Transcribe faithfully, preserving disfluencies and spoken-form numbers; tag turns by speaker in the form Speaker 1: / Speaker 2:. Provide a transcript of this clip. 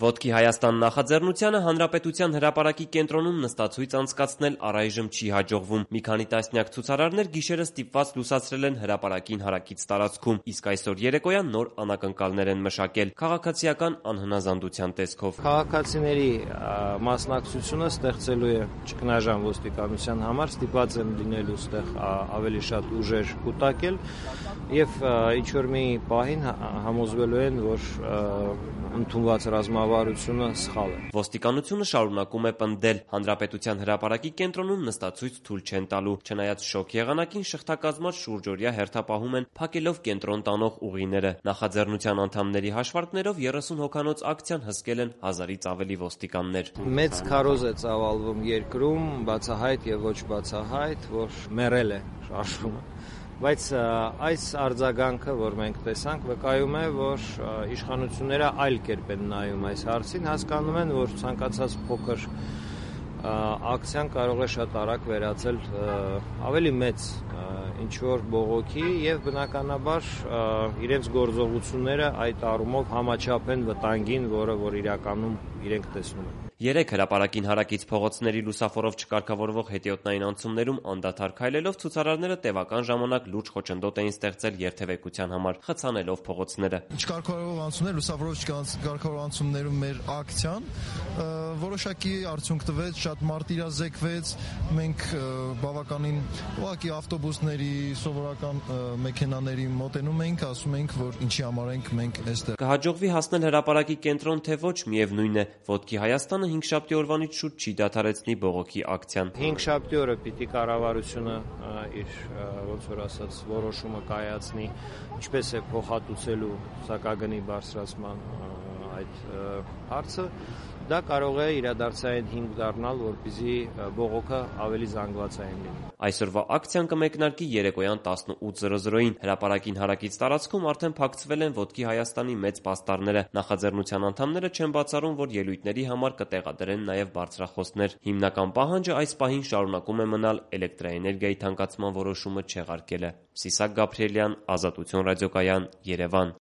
Speaker 1: Ոտքի Հայաստան նախաձեռնությանը Հանրապետության հրապարակի կենտրոնում նստացույց անցկացնել առայժմ չի հաջողվում։ Մի քանի տասնյակ ցուցարարներ գիշերը ստիպված լուսացրել են հրապարակին հարակից տարածքում, իսկ այսօր երեկոյան նոր անակնկալներ են մշակել քաղաքացիական անհնազանդության տեսքով։
Speaker 2: Քաղաքացիների մասնակցությունը ստեղծելու է ճգնաժամ ոստիկանության համար, ստիպված են լինելու ստեղ ավելի շատ ուժեր կուտակել եւ ինչ-որ մի պահին համոզվելու են, որ ընդունված ռազմավարությունը սխալ է։
Speaker 1: Ոստիկանությունը շարունակում է պնդել, Հանրապետության հրապարակի կենտրոնում նստացույց թույլ չեն տալու, չնայած շոկ եղանակին շղթակազմած շուրջօրյա հերթապահում են փակելով կենտրոն տանող ուղիները։ Նախաձեռնության անդամների հաշվարկներով երեսուն հոգանոց ակցիան հսկել են հազարից ավելի ոստիկաններ։
Speaker 2: Մեծ քարոզ է ծավալվում երկրում, բացահայտ եւ ոչ բացահայտ, որ մեռել է շարժումը։ Բայց այս արձագանքը, որ մենք տեսանք, վկայում է, որ իշխանությունները այլ կերպ են նայում այս հարցին, հասկանում են, որ ցանկացած փոքր ակցիան կարող է շատ արագ վերածել ավելի մեծ ինչ-որ բողոքի եւ բնականաբար իրենց գործողությունները այդ առումով համաչափ են վտանգին, որը որ իրականում իրենք տեսնում են։
Speaker 1: Երեք հրապարակին հարակից փողոցների լուսավորով չկարգավորվող հետիոտնային անցումներում անդադար քայլելով ցուցարարները տևական ժամանակ լուրջ խոչընդոտ էին ստեղծել երթևեկության համար, խցանելով փողոցները։
Speaker 3: Չկարգավորվող անցումներ, լուսավորով չկարգավորվող անցումներում մեր ակցիան որոշակի արդյունք տվեց, շատ մարտիրազեկվեց, մենք բավականին ուղղակի ավտոբուսների, սովորական մեքենաների մոտենում էինք, ասում էինք, որ ինչի համար ենք մենք այստեղ։
Speaker 1: Կհաջողվի հասնել հրապարակի կենտրոն, թե ոչ, միևնույն է, Ոտքի Հայաստանը հինգշաբթի օրվանից շուտ չի դադարեցնի բողոքի ակցիան։
Speaker 2: Հինգշաբթի օրը պիտի կառավարությունը իր ոնց որ ասած որոշումը կայացնի, ինչպես է փոխհատուցելու սակագնի բարձրացման այդ հարցը, դա կարող է իրադարձային հիմք դառնալ, որպեսզի բողոքը ավելի զանգվածային լինի։
Speaker 1: Այսօրվա ակցիան կմեկնարկի երեկոյան տասնութ զրո զրոյին։ Հրապարակին հարակից տարածքում արդեն փակցվել են Ոտքի Հայաստանի մեծ պաստառները։ Նախաձեռնության անդամները չեն բացառում, որ ելույթների համար կտեղադրեն նաև բարձրախոսներ։ Հիմնական պահանջը այս պահին շարունակում է մնալ էլեկտրաէներգիայի թանկացման որոշումը չեղարկելը։ Սիսակ Գաբրիելյան, Ազատություն ռադիոկայան, Երևան։